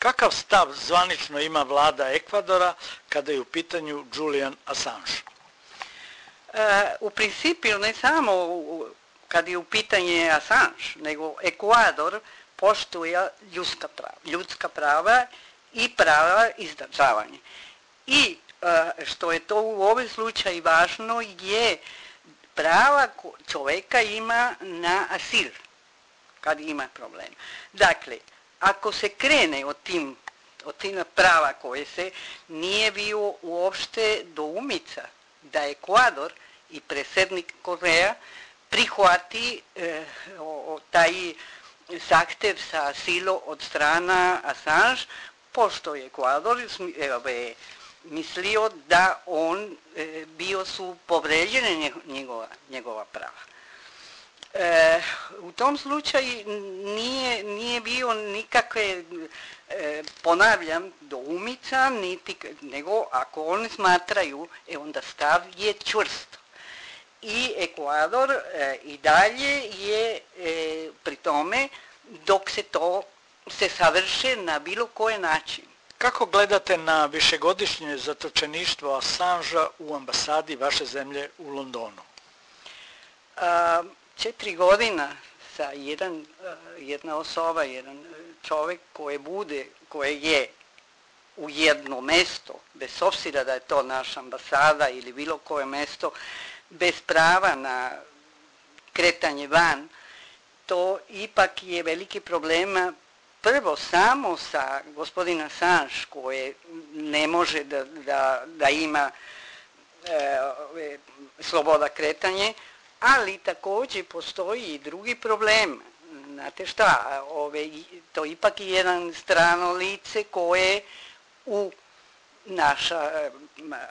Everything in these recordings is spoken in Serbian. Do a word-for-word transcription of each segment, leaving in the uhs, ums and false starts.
kakav stav zvanično ima vlada Ekvadora kada je u pitanju Julian Assange? E, u principu ne samo u, kad je u pitanju Assange, nego Ekvador poštuje ljudska prava, ljudska prava i prava izdržavanja. I e, što je to u ovom slučaju važno je prava čovjeka ima na asil kad ima problem. Dakle, ako se krene od tim, od tim prava koje se nije bio uopšte doumica da Ekvador i predsjednik Korea prihvati e, o, taj zahtev sa asilom od strana Assange, pošto je Ekvador e, mislio da on e, bio su povređene njegova, njegova prava. E, u tom slučaju nije, nije bio nikakve, e, ponavljam, doumica, niti, nego ako oni smatraju, e, onda stav je čvrsto. I Ekvador e, i dalje je e, pri tome dok se to se savrše na bilo koji način. Kako gledate na višegodišnje zatočeništvo Assangea u ambasadi vaše zemlje u Londonu? A, četiri godina sa jedan, jedna osoba, jedan čovjek koji bude, koji je u jedno mesto, bez obzira da je to naša ambasada ili bilo koje mesto, bez prava na kretanje van, to ipak je veliki problem. Prvo samo sa gospodina Assange koji ne može da, da, da ima e, sloboda kretanje, ali također postoji i drugi problem. Znate šta, ove, to ipak je jedan strano lice koje u naša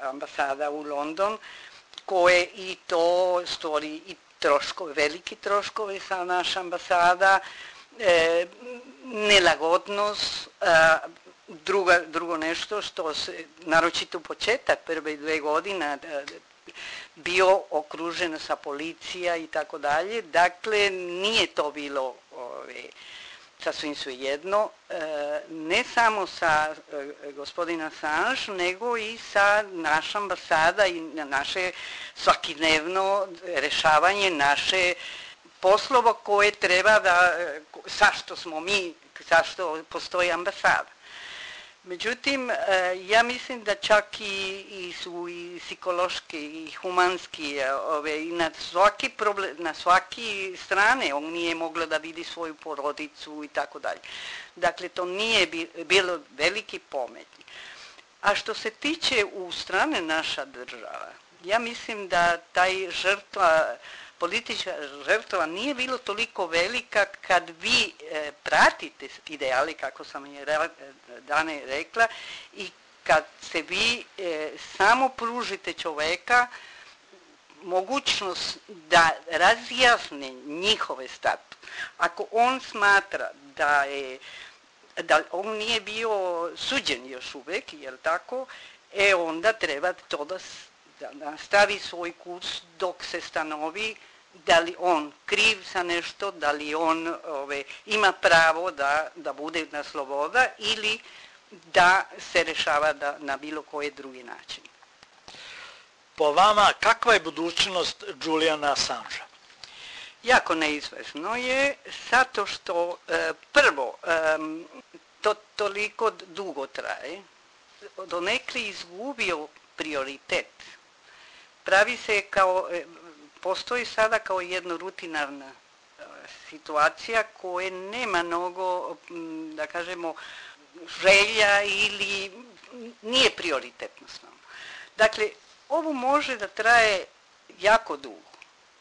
ambasada u London, koje i to stvori i troškove, veliki troškovi sa naša ambasada, e, nelagodnost, a, druga, drugo nešto što se, naročito početak prve dve godine, bio okružen sa policija i tako dalje. Dakle, nije to bilo ove, sasvim svejedno, e, ne samo sa e, gospodina Assange, nego i sa naša ambasada i naše svakodnevno rešavanje naše poslova koje treba da, zašto smo mi, zašto postoji ambasada. Međutim, ja mislim da čak i, i su i psihološki i humanski, ove, i na svaki problem, na svaki strane on nije mogla da vidi svoju porodicu i tako dalje. Dakle, to nije bilo veliki pometnji. A što se tiče u strane naša država, ja mislim da taj žrtva, politička žrtva nije bilo toliko velika kad vi e, pratite ideali, kako sam je re, dane rekla, i kad se vi e, samo pružite čoveka mogućnost da razjasne njihove statut. Ako on smatra da je da on nije bio suđen još uvijek, jel tako, e onda treba to da da nastavi svoj kurs dok se stanovi da li on kriv za nešto, da li on ove, ima pravo da, da bude na sloboda ili da se rešava da, na bilo koji drugi način. Po vama, kakva je budućnost Juliana Assangea? Jako neizvesno je, zato što e, prvo, e, to toliko dugo traje, donekle izgubio prioritet. Pravi se kao, postoji sada kao jedna rutinarna situacija koja nema mnogo, da kažemo, želja ili nije prioritetno s nama. Dakle, ovo može da traje jako dugo.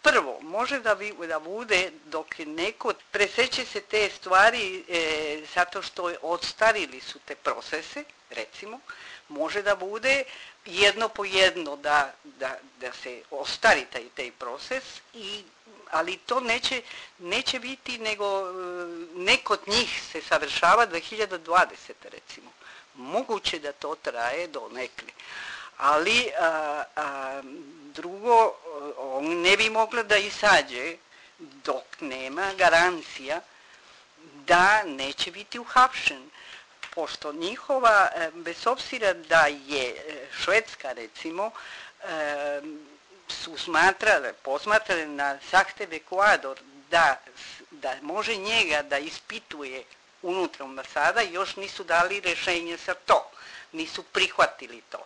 Prvo, može da, bi, da bude dok neko preseće se te stvari e, zato što odstarili su te procese, recimo, može da bude jedno po jedno da, da, da se ostari taj, taj proces, i, ali to neće, neće biti nego neko od njih se savršava dve hiljade dvadesete recimo. Moguće da to traje do nekle. Ali a, a, drugo, on ne bi mogla da izađe dok nema garancija da neće biti uhapšen. pošto njihova, bez obzira da je Švedska recimo, su smatrale, posmatrale na zahtev Ekvador da, da može njega da ispituje unutra ambasada, još nisu dali rješenje za to, nisu prihvatili to,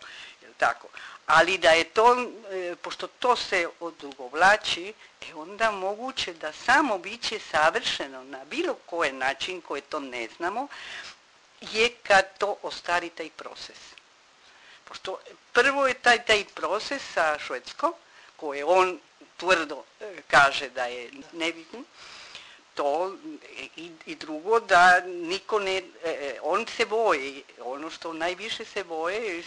tako. Ali da je to, pošto to se odugovlači, e onda moguće da samo biće savršeno na bilo koji način koji to ne znamo, je kad to ostari taj proces. Pošto prvo je taj, taj proces sa Švedskom, koje on tvrdo kaže da je nebitno, to i, i drugo da niko ne, on se boji, ono što najviše se boje,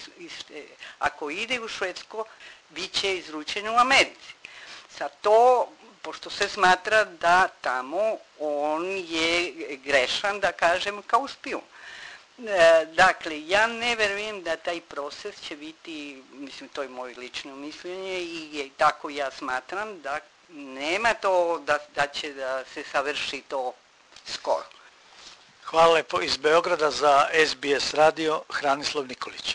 ako ide u Švedsko, bit će izručeno u Americi. Sa to, pošto se smatra da tamo on je grešan, da kažem, kao špijun. Dakle, ja ne verujem da taj proces će biti, mislim, to je moje lično mišljenje i tako ja smatram da nema to da, da će da se savrši to skoro. Hvala lepo. Iz Beograda za S B S radio, Hranislav Nikolić.